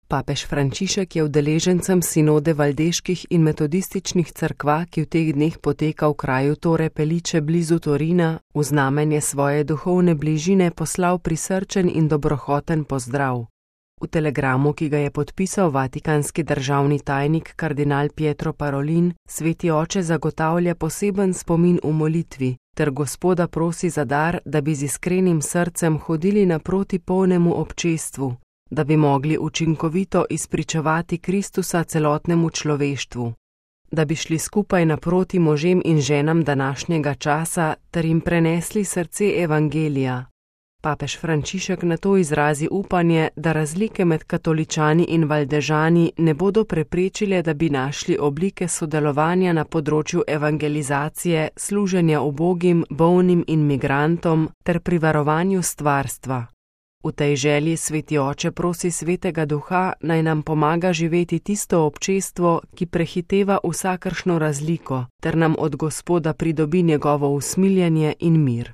Papež Frančišek je udeležencem sinode valdeških in metodističnih cerkva, ki v teh dneh poteka v kraju Torre Pellice blizu Torina, v znamenje svoje duhovne bližine poslal prisrčen in dobrohoten pozdrav. V telegramu, ki ga je podpisal vatikanski državni tajnik kardinal Pietro Parolin, sveti oče zagotavlja poseben spomin v molitvi, ter Gospoda prosi za dar, da bi z iskrenim srcem hodili naproti polnemu občestvu, da bi mogli učinkovito izpričevati Kristusa celotnemu človeštvu, da bi šli skupaj naproti možem in ženam današnjega časa ter jim prenesli srce evangelija. Papež Frančišek nato izrazi upanje, da razlike med katoličani in valdežani ne bodo preprečile, da bi našli oblike sodelovanja na področju evangelizacije, služenja ubogim, bolnim in migrantom ter pri varovanju stvarstva. V tej želji sveti oče prosi svetega duha, naj nam pomaga živeti tisto občestvo, ki prehiteva vsakršno razliko, ter nam od Gospoda pridobi njegovo usmiljenje in mir.